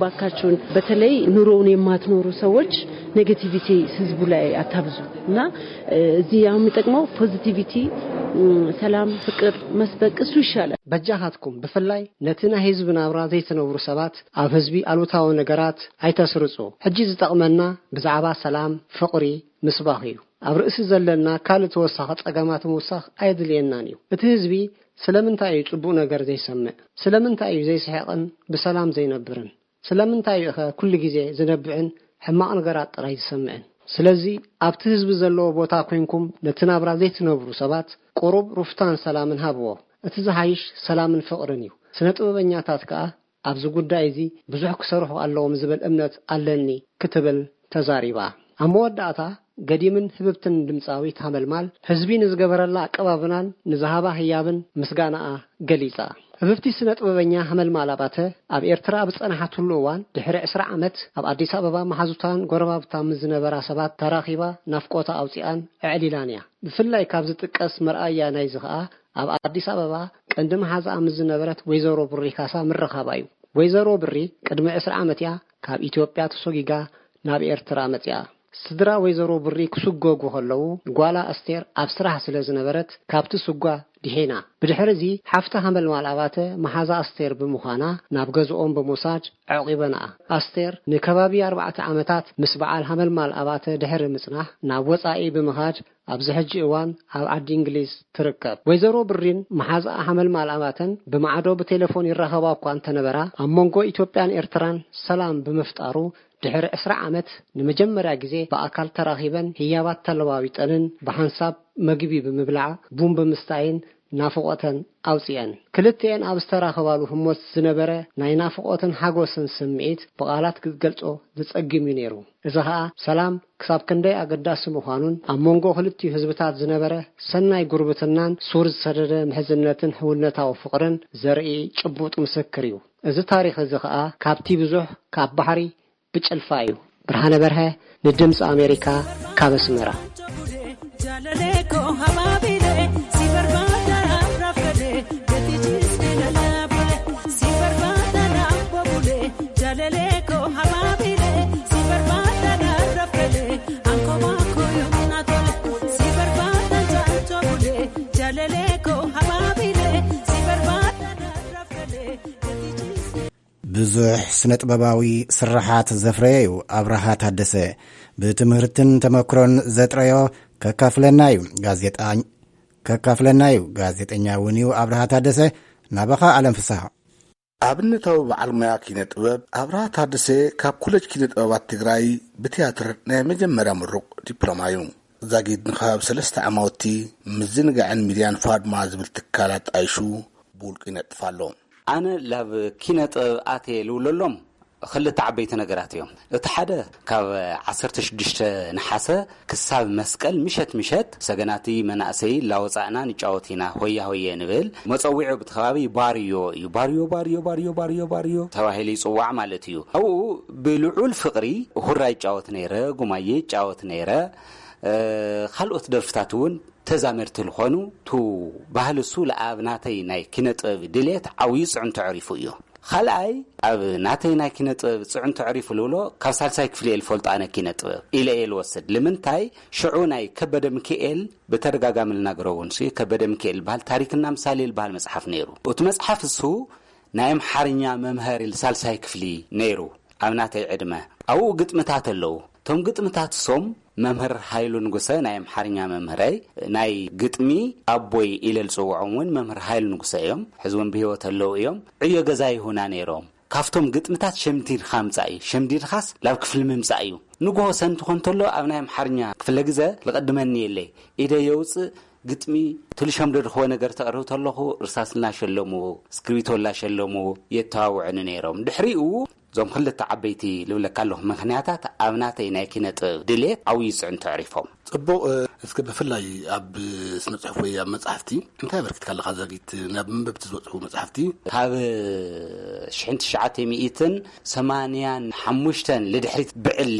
ባካችሁን በተለይ ኑሮውን የማትኖሩ ሰዎች ኔጌቲቪቲ ህዝቡ ላይ አታብዙ እና እ፣ እዚህ አሁን የሚጠቅመው ፖዚቲቪቲ፣ ም፣ ሰላም፣ ፍቅር መስበክ እሱ ይሻላል። በጃኻትኩም ብፍላይ ነቲ ናይ ህዝቢ ናብራ ዘይትነብሩ ሰባት ኣብ ህዝቢ ኣሉታዊ ነገራት ኣይተስርጹ። ሕጂ ዝጠቕመና ብዛዕባ ሰላም፣ ፍቕሪ ምስባኽ እዩ። ኣብ ርእሲ ዘለና ካልእ ተወሳኺ ጸገማት ምውሳኽ ኣየድልየናን እዩ። እቲ ህዝቢ ስለምንታይ እዩ ጽቡቕ ነገር ዘይሰምዕ? ስለምንታይ እዩ ዘይስሕቕን ብሰላም ዘይነብርን? ስለምንታይ እዩ ኸ ኩሉ ግዜ ዝነብዕን ሕማቕ ነገራት ጥራይ ዝሰምዕን? ስለዚ ኣብቲ ህዝቢ ዘለዎ ቦታ ኮይንኩም ነቲ ናብራ ዘይትነብሩ ሰባት ቁሩብ ሩፍታን ሰላምን ሃብዎ። እቲ ዝሓይሽ ሰላምን ፍቕርን እዩ። ስነ ጥበበኛታት ከኣ ኣብዚ ጉዳይ እዚ ብዙሕ ክሰርሑ ኣለዎም ዝብል እምነት ኣለኒ ክትብል ተዛሪባ። ኣብ መወዳእታ ገዲምን ህብብትን ድምጻዊት ሃመልማል ህዝቢ ንዝገበረላ ኣቀባብናን ንዝሃባ ህያብን ምስጋናኣ ገሊጻ። ህብብቲ ስነ ጥበበኛ ሃመልማል ኣባተ ኣብ ኤርትራ ኣብ ዝጸንሓትሉ እዋን ድሕሪ ዕስራ ዓመት ኣብ ኣዲስ ኣበባ መሓዙታን ጎረባብታን ምስ ዝነበራ ሰባት ተራኺባ ናፍቆታ ኣውጺኣን ኣዕሊላን እያ። ብፍላይ ካብ ዝጥቀስ መርኣያ ናይዚ ኸኣ ኣብ ኣዲስ ኣበባ ቀንዲ መሓዛኣ ምስ ዝነበረት ወይዘሮ ብሪ ካሳ ምርኻባ እዩ። ወይዘሮ ብሪ ቅድሚ ዕስራ ዓመት እያ ካብ ኢትዮጵያ ተሶጊጋ ናብ ኤርትራ መጺኣ። ስድራ ወይዘሮ ብሪ ክስጎጉ ከለዉ ጓላ ኣስቴር ኣብ ስራሕ ስለ ዝነበረት ካብቲ ስጓ ድሒና። ብድሕሪ እዚ ሓፍታ ሃመልማል ኣባተ መሓዛ ኣስቴር ብምዃና ናብ ገዝኦም ብምውሳድ ኣዕቒበንኣ። ኣስቴር ንከባቢ ኣርባዕተ ዓመታት ምስ በዓል ሃመልማል ኣባተ ድሕሪ ምጽናሕ ናብ ወጻኢ ብምኻድ ኣብዚ ሕጂ እዋን ኣብ ዓዲ እንግሊዝ ትርከብ። ወይዘሮ ብሪን መሓዛኣ ሃመልማል ኣባተን ብማዕዶ ብቴሌፎን ይራኸባ እኳ እንተነበራ ኣብ መንጎ ኢትዮጵያን ኤርትራን ሰላም ብምፍጣሩ ድሕሪ ዕስራ ዓመት ንመጀመርያ ግዜ ብኣካል ተራኺበን ህያባት ተለዋዊጠንን ብሓንሳብ መግቢ ብምብላዕ ቡን ብምስታይን ናፍቖተን ኣውጺአን። ክልቲኤን ኣብ ዝተራኸባሉ ህሞት ዝነበረ ናይ ናፍቖትን ሓጎስን ስምዒት ብቓላት ክትገልጾ ዘጸግም እዩ ነይሩ። እዚ ኸኣ ሰላም ክሳብ ክንደይ ኣገዳሲ ምዃኑን ኣብ መንጎ ክልቲኡ ህዝብታት ዝነበረ ሰናይ ጉርብትናን ሱር ዝሰደደ ምሕዝነትን ሕውነታዊ ፍቕርን ዘርኢ ጭቡጥ ምስክር እዩ። እዚ ታሪኽ እዚ ኸኣ ካብቲ ብዙሕ ካብ ባሕሪ ብጭልፋ እዩ። ብርሃነ በርሀ ንድምፂ ኣሜሪካ ካብ ኣስመራ። ብዙሕ ስነ ጥበባዊ ስርሓት ዘፍረየ እዩ ኣብርሃ ታደሰ። ብትምህርትን ተመክሮን ዘጥረዮ ከካፍለና እዩ ጋዜጣ-፣ ከካፍለና እዩ። ጋዜጠኛ እውን እዩ ኣብርሃ ታደሰ። ናባኻ ኣለም ፍስሃ። ኣብነታዊ በዓል ሞያ ኪነ ጥበብ ኣብርሃ ታደሰ ካብ ኮሌጅ ኪነ ጥበባት ትግራይ ብትያትር ናይ መጀመርያ ምሩቕ ዲፕሎማ እዩ። ዛጊድ ንኸባቢ ሰለስተ ዓማውቲ ምዝንጋዕን ሚድያን ፋድማ ዝብል ትካል ኣጣይሹ ብውልቁ ይነጥፍ ኣሎ። ኣነ ላብ ኪነ ጥበብ ኣትየ ልውለሎም ክልተ ዓበይቲ ነገራት እዮም። እቲ ሓደ፣ ካብ ዓሰርተ ሽዱሽተ ነሓሰ ክሳብ መስቀል ምሸት ምሸት ሰገናቲ መናእሰይ ላወፃእና ንጫወት ኢና፣ ሆያ ሆየ ንብል። መፀዊዑ ብቲ ከባቢ ባርዮ እዩ። ባርዮ፣ ባርዮ፣ ባርዮ፣ ባርዮ፣ ባርዮ ተባሂሉ ይፅዋዕ ማለት እዩ። ኣብኡ ብልዑል ፍቕሪ ሁራ ይጫወት ነይረ፣ ጉማየ ይጫወት ነይረ። እ፣ ካልኦት ደርፍታት እውን ተዛመድቲ ዝኾኑ፣ ቱ ባህሊ እሱ ለኣብ ናተይ ናይ ኪነ ጥበብ ድሌት ዓብዩ ፅዕንቶ ዕሪፉ እዩ። ካልኣይ፣ ኣብ ናተይ ናይ ኪነ ጥበብ ፅዕንቶ ዕሪፉ ልብሎ፣ ካብ ሳልሳይ ክፍሊ እየ ልፈልጦ ኣነ ኪነ ጥበብ ኢለ እየ ልወስድ። ልምንታይ? ሽዑ ናይ ከበደ ሚካኤል ብተደጋጋሚ ልናገሮ እውን ሲ፣ ከበደ ሚካኤል ልበሃል ታሪክና ምሳሌ ልበሃል መፅሓፍ ነይሩ። እቲ መፅሓፍ እሱ ናይ ኣምሓርኛ መምሃሪ ሳልሳይ ክፍሊ ነይሩ። ኣብ ናተይ ዕድመ ኣብኡ ግጥምታት ኣለዉ። እቶም ግጥምታት እሶም መምህር ሃይሉ ንጉሰ ናይ ኣምሓርኛ መምህረይ፣ ናይ ግጥሚ ኣቦይ ኢለ ዝጽውዖም እውን መምህር ሃይሉ ንጉሰ እዮም። ሕዚ እውን ብህይወት ኣለዉ እዮም። ዕዮ ገዛ ይሁና ነይሮም። ካብቶም ግጥምታት ሸምዲድካ ምጻእ እዩ። ሸምዲድካስ ላብ ክፍሊ ምምጻእ እዩ። ንግሆ ሰንቲ ኮን ተሎ ኣብ ናይ ኣምሓርኛ ክፍለ ግዘ ልቐድመኒ የለይ። ኢደ የውጽእ ግጥሚ፣ ትልሾም ደድኽቦ ነገር ተቕርብ ተለኹ፣ እርሳስ እናሸለሙ፣ እስክሪብቶ እናሸለሙ የተዋውዑኒ ነይሮም። ድሕሪኡ እዞም ክልተ ዓበይቲ ልብለካ ኣለኹ ምኽንያታት ኣብ ናተይ ናይ ኪነ ጥበብ ድሌት ዓብዪ ጽዕንቶ ኣዕሪፎም። ጽቡቕ፣ እ፣ እስከ ብፍላይ ኣብ ስነ ጽሑፍ ወይ ኣብ መጻሕፍቲ እንታይ ኣበርኪትካ ኣለኻ ዛጊት? ናብ መንበብቲ ዝበጽሑ መጻሕፍቲ? ካብ ሽሕን ትሽዓተ ሚእትን ሰማንያን ሓሙሽተን ልድሕሪት ብዕሊ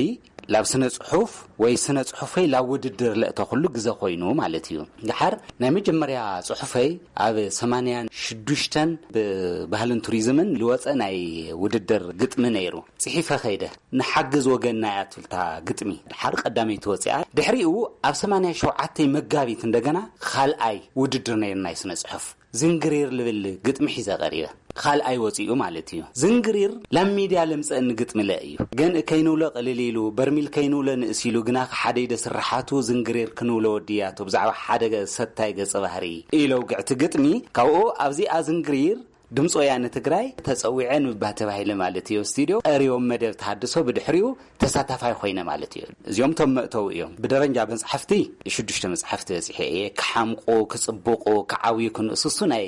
ላብ ስነ ጽሑፍ ወይ ስነ ጽሑፈይ ላብ ውድድር ለእተኹሉ ግዘ ኮይኑ ማለት እዩ። ደሓር ናይ መጀመርያ ጽሑፈይ ኣብ ሰማንያን ሽዱሽተን ብባህልን ቱሪዝምን ልወጸ ናይ ውድድር ግጥሚ ነይሩ። ጽሒፈ ኸይደ፣ ንሓግዝ ወገንና እያ ትብል እታ ግጥሚ። ደሓር ቀዳመይቲ ወጺኣ። ድሕሪኡ ኣብ ሰማንያ ሸውዓተ መጋቢት እንደገና ካልኣይ ውድድር ነይሩ ናይ ስነ ጽሑፍ። ዝንግሪር ልብል ግጥሚ ሒዘ ቀሪበ። ካልኣይ ወጺኡ ማለት እዩ። ዝንግሪር ላብ ሚድያ ለምጸእኒ ግጥሚ ለ እዩ። ገንኢ ከይንውሎ ቅልል ኢሉ፣ በርሚል ከይንውሎ ንእስ ኢሉ፣ ግና ሓደ ኢደ ስርሓቱ ዝንግሪር ክንውሎ ወድያቱ ብዛዕባ ሓደ ገ-፣ ሰታይ ገጸ ባህሪ ኢለ ውግዕቲ ግጥሚ። ካብኡ ኣብዚኣ ዝንግሪር ድምፂ ወያነ ትግራይ ተፀዊዐ ንምባ ተባሂለ ማለት እዩ። ስቱዲዮ ቀሪቦም መደብ ተሃድሶ ብድሕሪኡ ተሳታፋይ ኮይነ ማለት እዩ። እዚኦም ቶም መእተው እዮም። ብደረጃ መፅሓፍቲ ሽዱሽተ መፅሓፍቲ በፂሐ እየ። ክሓምቁ፣ ክፅብቁ፣ ክዓብዩ፣ ክንእስሱ ናይ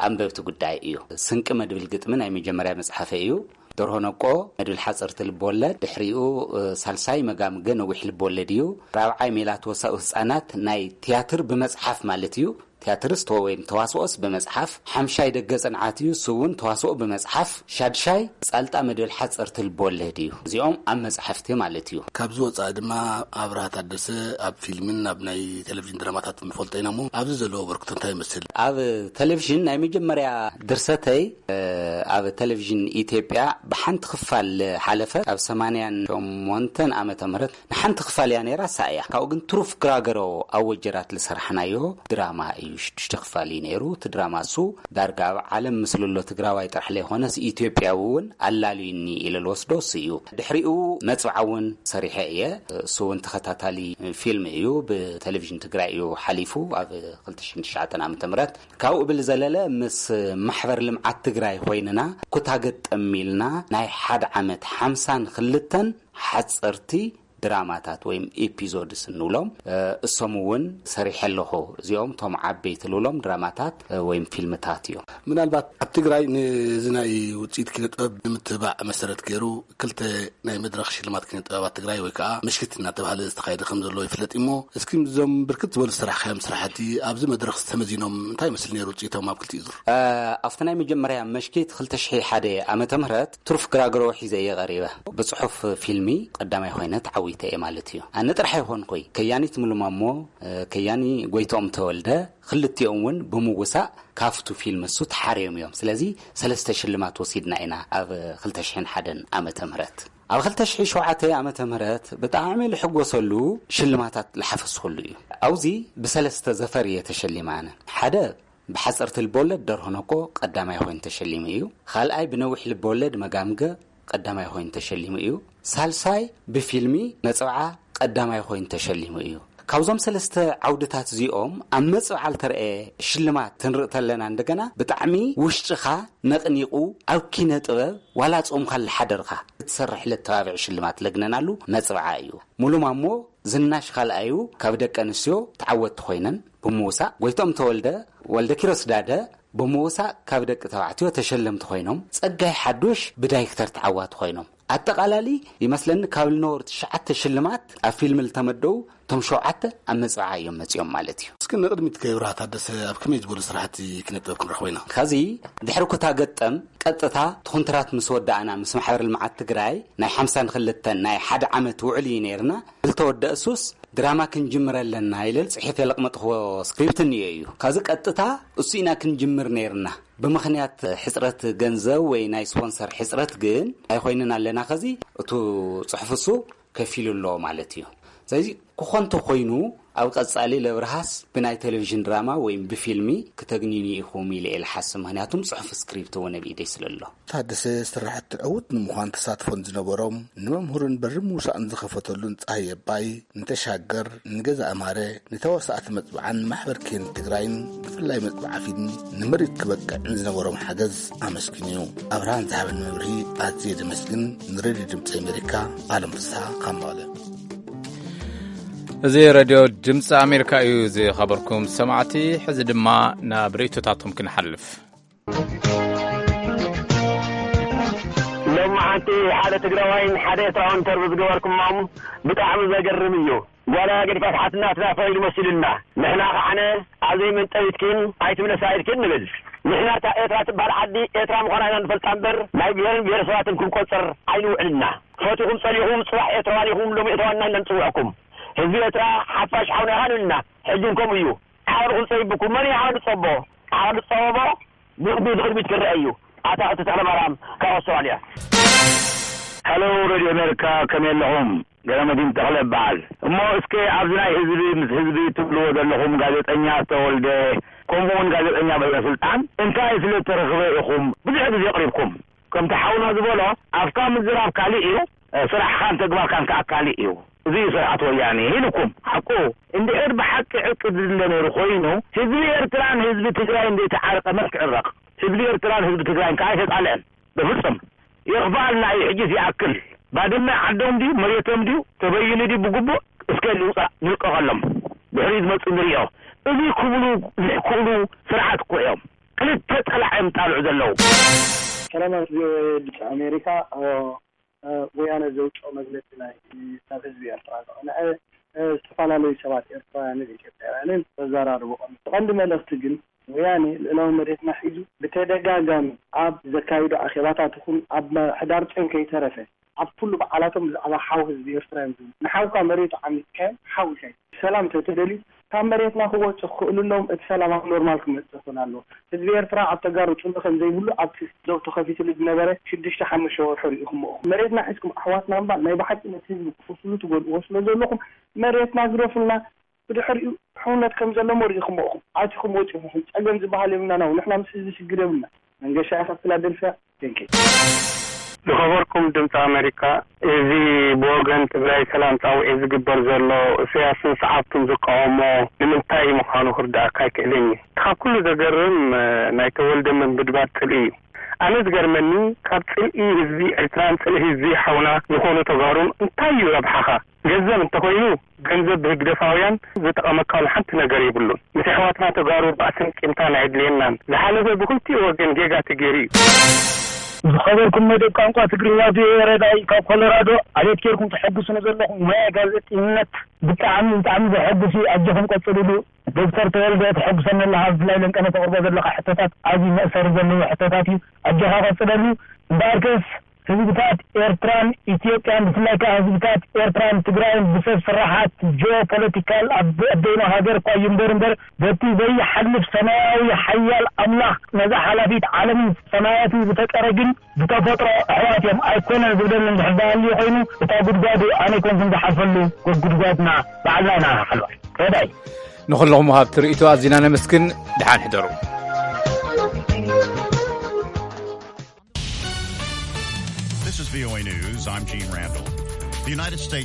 ኣንበብቲ ጉዳይ እዩ። ስንቂ መድብል ግጥሚ ናይ መጀመርያ መፅሓፈ እዩ። ደርሆ ነቆ መድብል ሓፀርቲ ልብወለድ፣ ድሕሪኡ፣ እ፣ ሳልሳይ መጋምገ ነዊሕ ልብወለድ እዩ። ራብዓይ ሜላት ወሳኡ ህፃናት ናይ ትያትር ብመፅሓፍ ማለት እዩ። ትያትርስ ተወ-፣ ወይም ተዋስኦስ ብመጽሓፍ፣ ሓምሻይ ደገ ጽንዓት እዩ፣ እሱ እውን ተዋስኦ ብመጽሓፍ፣ ሻድሻይ ጻልጣ መድብል ሓጸርቲ ልቦወለድ እዩ። እዚኦም ኣብ መጻሕፍቲ ማለት እዩ። ካብዚ ወጻኢ ድማ ኣብርሃ ታደሰ ኣብ ፊልምን ኣብ ናይ ቴሌቪዥን ድራማታት ንፈልጦ ኢና እሞ፣ ኣብዚ ዘለዎ ኣበርክቶ እንታይ ይመስል? ኣብ ቴሌቪዥን ናይ መጀመርያ ድርሰተይ፣ እ፣ ኣብ ቴሌቪዥን ኢትዮጵያ ብሓንቲ ክፋል ሓለፈ። ኣብ ሰማንያን ሸሞንተን ዓመተ ምህረት ንሓንቲ ክፋል እያ ነይራ፣ እሳ እያ። ካብኡ ግን ትሩፍ ግራገሮ ኣብ ወጀራት ዝሰራሕናዮ ድራማ እዩ። ሽዱሽተ ክፋል እዩ ነይሩ። እቲ ድራማ እሱ ዳርጋ ኣብ ዓለም ምስልሎ ትግራዋይ ጥራሕ ለይኮነስ ኢትዮጵያዊ እውን ኣላልዩኒ ኢለ ልወስዶ እሱ እዩ። ድሕሪኡ መጽብዓ እውን ሰሪሐ እየ። እሱ እውን ተኸታታሊ ፊልም እዩ። ብቴሌቪዥን ትግራይ እዩ ሓሊፉ ኣብ ክልተ ሽሕን ትሽዓተን ዓመተ ምህረት። ካብኡ ብዝዘለለ ምስ ማሕበር ልምዓት ትግራይ ኮይንና ኩታ ገጠም ኢልና ናይ ሓደ ዓመት ሓምሳን ክልተን ሓፀርቲ ድራማታት ወይም ኤፒዞድስ እንብሎም፣ እ፣ እሶም እውን ሰሪሐ ኣለኹ። እዚኦም እቶም ዓበይቲ ልብሎም ድራማታት፣ እ፣ ወይም ፊልምታት እዮም። ምናልባት ኣብ ትግራይ ነዚ ናይ ውፅኢት ኪነ ጥበብ ንምትብባዕ መሰረት ገይሩ ክልተ ናይ መድረኽ ሽልማት ኪነ ጥበባት ትግራይ ወይ ከዓ ምሽክት እናተባህለ ዝተኻየደ ከም ዘሎ ይፍለጥ እሞ፣ እስኪ እዞም ብርክት ዝበሉ ዝሰራሕካዮም ስራሕቲ ኣብዚ መድረኽ ተመዚኖም እንታይ ይመስል ነይሩ ውፅኢቶም ኣብ ክልቲኡ ዙር? እ፣ ኣብቲ ናይ መጀመርያ መሽኪት ክልተ ሽሕ ሓደ ዓመተ ምህረት ትሩፍ ግራግሮ ሒዘ እየ ቀሪበ። ብጽሑፍ ፊልሚ ቀዳማይ ኮይነ ተዓዊተ እየ ማለት እዩ። ኣነ ጥራሕ ኣይኮንኩይ፣ ከያኒት ሙሉ ማሞ፣ እ፣ ከያኒ ጎይትኦም ተወልደ፣ ክልቲኦም እውን ብምውሳእ ካብቱ ፊልም እሱ ተሓርዮም እዮም። ስለዚ ሰለስተ ሽልማት ወሲድና ኢና ኣብ ክልተ ሽሕን ሓደን ዓመተ ምህረት። ኣብ ክልተ ሽሕ ሸውዓተ ዓመተ ምህረት ብጣዕሚ ልሕጎሰሉ ሽልማታት ልሓፈስኩሉ እዩ። ኣብዚ ብሰለስተ ዘፈር እየ ተሸሊመ ኣነ። ሓደ ብሓጸርቲ ልበወለድ ደርሆ ነኮ ቀዳማይ ኮይኑ ተሸሊሙ እዩ። ካልኣይ ብነዊሕ ልበወለድ መጋምገ ቀዳማይ ኮይኑ ተሸሊሙ እዩ። ሳልሳይ ብፊልሚ ነጽብዓ ቀዳማይ ኮይኑ ተሸሊሙ እዩ። ካብዞም ሰለስተ ዓውድታት እዚኦም ኣብ መጽብዓ ልተረኤ ሽልማት ክንርኢ ተለና እንደገና ብጣዕሚ ውሽጥኻ ነቕኒቑ ኣብ ኪነ ጥበብ ዋላ ጾምካ ልሓደርካ ክትሰርሕ ለተባብዕ ሽልማት ለግነናሉ መጽብዓ እዩ። ሙሉ ማሞ ዝናሽ ካልኣዩ ካብ ደቂ ኣንስትዮ ተዓወትቲ ኮይነን ብምውሳእ፣ ጎይቶም ተወልደ ወልደ ኪሮስ ዳደ ብምውሳእ ካብ ደቂ ተባዕትዮ ተሸለምቲ ኮይኖም፣ ጸጋይ ሓዱሽ ብዳይክተር ተዓዋቲ ኮይኖም። ኣጠቓላሊ ይመስለኒ ካብ ልነበሩ ትሽዓተ ሽልማት ኣብ ፊልም ልተመደቡ፣ እቶም ሸውዓተ ኣብ መጽብዓ እዮም መጺኦም ማለት እዩ። እስኪ ንቕድሚት ከይብርሃ ታደሰ ኣብ ከመይ ዝበሉ ስራሕቲ ክነጥበብ ክንረኽቦ ኢና? ከዚ ድሕሪ ኩታ ገጠም ቀጥታ እቲ ኮንትራት ምስ ወዳእና ምስ ማሕበር ልምዓት ትግራይ ናይ ሓምሳን ክልተን ናይ ሓደ ዓመት ውዕል እዩ ነይርና። ልተወደእሱስ ድራማ ክንጅምር ኣለና ኢለ ጽሒፈ ለቕመጥኽዎ ስክሪፕት እኒኦ እዩ። ከዚ ቀጥታ እሱ ኢና ክንጅምር ነይርና። ብምኽንያት ሕጽረት ገንዘብ ወይ ናይ ስፖንሰር ሕጽረት ግን ኣይኮይንን ኣለና። ከዚ እቱ ጽሑፍ እሱ ከፊሉ ኣሎ ማለት እዩ። ስለዚ ክኾን ተኾይኑ ኣብ ቀጻሊ ለብርሃስ ብናይ ቴሌቪዥን ድራማ ወይም ብፊልሚ ክተግንዩኒ ኢኹም ኢለ እየ ልሓስብ። ምኽንያቱም ጽሑፍ ስክሪፕት እውን ኣብ ኢደይ ስለ ኣሎ። ታደሰ ስራሕቲ ዕዉት ንምዃን ተሳትፎን ዝነበሮም ንመምህሩን በሪ ምውሳእን ዝኸፈተሉን ጸሃይ ኣባይ ንተሻገር፣ ንገዛ ኣማረ፣ ንተዋሳእቲ መጽብዓን ማሕበር ኬን ትግራይን ብፍላይ መጽብዓ ፊልም ንምርኢት ክበቅዕን ዝነበሮም ሓገዝ ኣመስግንዩ። ኣብርሃን ዝሃበን መብርሂ ኣዝየ ዘመስግን። ንሬድዮ ድምፂ ኣሜሪካ ኣለም ፍስሃ ካብ መቐለ። እዚ ሬድዮ ድምፂ ኣሜሪካ እዩ። ዝኸበርኩም ሰማዕቲ፣ ሕዚ ድማ ናብ ርእይቶታቶም ክንሓልፍ። ሎሚ ሓንቲ ሓደ ትግራዋይን ሓደ ኤርትራውን ኢንተርቪው ዝገበርኩሞም ብጣዕሚ ዘገርም እዩ። ጓላ ገዲፋ ትሓትና ትናፋ ኢሉ መሲሉና። ንሕና ከዓነ ኣብ ዘይመንጠቢትኪን ኣይትምለሳ ኢልኪን ንብል። ንሕና እታ ኤርትራ ትበሃል ዓዲ ኤርትራ ምዃና ኢና ንፈልጣ እምበር ናይ ብሄርን ብሄረሰባትን ክንቆጽር ኣይንውዕልና። ፈቲኹም ጸሊኹም ጽባሕ ኤርትራውያን ኢኹም ሎም ኤርትራውያን ኢና ንጽውዐኩም። ህዝቢ ኤርትራ ሓፋሽ ሓውና ኢኻ ንብልና። ሕጂ እውን ከምኡ እዩ። ዓቕሊ ክንጸይብኩም መን እዩ ዓቕሊ ጸቦ? ዓቕሊ ጸበቦ ብቕድሚት ንቕድሚት ክረአ እዩ። ኣታ እቲ ተኽለማርያም ካብ ኣውስትራልያ። ሃሎ ሬድዮ ኣሜሪካ፣ ከመይ ኣለኹም? ገረመዲን ተኽለ እበሃል። እሞ እስከ ኣብዚ ናይ ህዝቢ ምስ ህዝቢ ትብልዎ ዘለኹም ጋዜጠኛ ዝተወልደ፣ ከምኡ እውን ጋዜጠኛ በለስልጣን እንታይ ስለ እተረኽበ ኢኹም ብዙሕ ግዜ ኣቕሪብኩም? ከምቲ ሓውና ዝበሎ ኣፍካ ምዝራብ ካሊእ እዩ፣ ስራሕኻን ተግባርካን ከኣ ካሊእ እዩ። እዚ እዩ ስርዓት ወያኔ ኢልኩም። ሓቁ እንድሕር ብሓቂ ዕርቂ ዝድለ ነይሩ ኮይኑ ህዝቢ ኤርትራን ህዝቢ ትግራይን ዘይተዓረቐ መን ክዕረቕ? ህዝቢ ኤርትራን ህዝቢ ትግራይን ከኣ ኣይተጣልአን። በፍጹም። ይኽፍኣልና እዩ ሕጂስ ይኣክል። ባድመ ዓዶም ድዩ መሬቶም ድዩ ተበይኑ ድዩ ብግቡእ እስከ ንውፃእ ንልቀቐሎም። ድሕሪኡ ዝመፅእ ንሪኦ። እዚ ክብሉ ዝሕክእሉ ስርዓት እኮ እዮም። ክልተ ፀላዕ እዮም ጣልዑ ዘለዉ። ሰላማት ቪኦኤ ድምፂ ኣሜሪካ። ወያነ ዘውፅኦ መግለፂ ናይ ናብ ህዝቢ ኤርትራ ዘቕንዐ ዝተፈላለዩ ሰባት ኤርትራውያንን ኢትዮጵያውያንን ዘዘራርቦ ቀንዲ መልእኽቲ ግን ወያነ ልእላዊ መሬትና ሒዙ ብተደጋጋሚ ኣብ ዘካይዶ ኣኼባታት ይኹን ኣብ ሕዳር ጨን ከይተረፈ ኣብ ኩሉ በዓላቶም ብዛዕባ ሓው ህዝቢ ኤርትራ እዮም ዝብሉ። ንሓውካ መሬቱ ዓሚጽካዮ ሓው ኢኻ። ሰላም ተተደልዩ ካብ መሬትና ክወጽእ ክኽእሉ ኣለዎም። እቲ ሰላም ኣብ ኖርማል ክመጽእ ክኽእል ኣለዎ። ህዝቢ ኤርትራ ኣብ ተጋሩ ጽልኢ ከም ዘይብሉ ኣብቲ ዘው ተኸፊትሉ ዝነበረ ሽዱሽተ ሓሙሽተ ወርሑ ርኢኹሞ ኢኹም። መሬትና ሒዝኩም ኣሕዋትና እምባ ናይ ብሓቂ ነቲ ህዝቢ ክፍስሉ ትጎድእዎ ስለ ዘለኹም መሬትና ግደፉልና። ብድሕሪኡ ሕውነት ከም ዘለሞ ርኢኹሞ ኢኹም። ኣቲኹም ወጺኹም። ጸገም ዝበሃል የብልናን። ንሕና ምስ ህዝቢ ሽግር የብልና። መንገሻ ኢኻ ፊላደልፊያ። Thank you። ዝኸበርኩም ድምፂ ኣሜሪካ፣ እዚ ብወገን ትግራይ ሰላም ፃውዒት ዝግበር ዘሎ እሰያስን ሰዓብቱን ዝቃወሞ ንምንታይ ምዃኑ ክርዳእካ ኣይክእልን እዩ። ካብ ኩሉ ዘገርም ናይ ተወልደ ምንብድባድ ፅልኢ እዩ። ኣነ ዝገርመኒ ካብ ፅልኢ ህዝቢ ኤርትራን ፅልኢ ህዝቢ ሓውና ዝኾኑ ተጋሩን እንታይ እዩ ረብሓኻ? ገንዘብ እንተኾይኑ ገንዘብ ብህግደፋውያን ዝጠቐመካሉ ሓንቲ ነገር የብሉን። ምስ ኣሕዋትና ተጋሩ ባእስን ቂምታን ኣየድልየናን። ዝሓለፈ ብክልቲኡ ወገን ጌጋ ተገይሩ እዩ። ዝኸበርኩም መደብ ቋንቋ ትግርኛ ቪኦኤ ረዳኢ ካብ ኮሎራዶ፣ ኣቤት ጌርኩም ተሐጉሱኒ ዘለኹም ሞያ ጋዜጠኝነት ብጣዕሚ ብጣዕሚ ዘሐጉስ እዩ። ኣጆኹም ቀጽልሉ። ዶክተር ተወልደ ተሐጉሰኒ ኣለኻ፣ ብፍላይ ለንቀነ ተቕርቦ ዘለኻ ሕቶታት ኣዝዩ መእሰሪ ዘለዎ ሕቶታት እዩ። ኣጆኻ ቀጽለሉ። እምበኣርከስ ህዝብታት ኤርትራን ኢትዮጵያን ብፍላይ ከኣ ህዝብታት ኤርትራን ትግራይን ብሰብ ስራሓት ጂኦፖለቲካል ኣብ በደይኖ ሃገር እኳ እዩ እምበር እምበር በቲ ዘይሓልፍ ሰማያዊ ሓያል ኣምላኽ ነዛ ሓላፊት ዓለምን ሰማያትን ዝፈጠረ ግን ብተፈጥሮ ኣሕዋት እዮም ኣይኮነን ዝብለኒ እንድሕር ዳሃልዩ ኮይኑ እታ ጉድጓዱ ኣነ ኣይኮንኩን ዝሓልፈሉ ጎጉድጓድና ባዕልና ኢና ንሓልፋ። ረዳይ ንኹልኹም ወሃብቲ ርእይቶ ኣዚና ነመስግን። ደሓን ሕደሩ። V O A News, I'm Gene Randall. The United States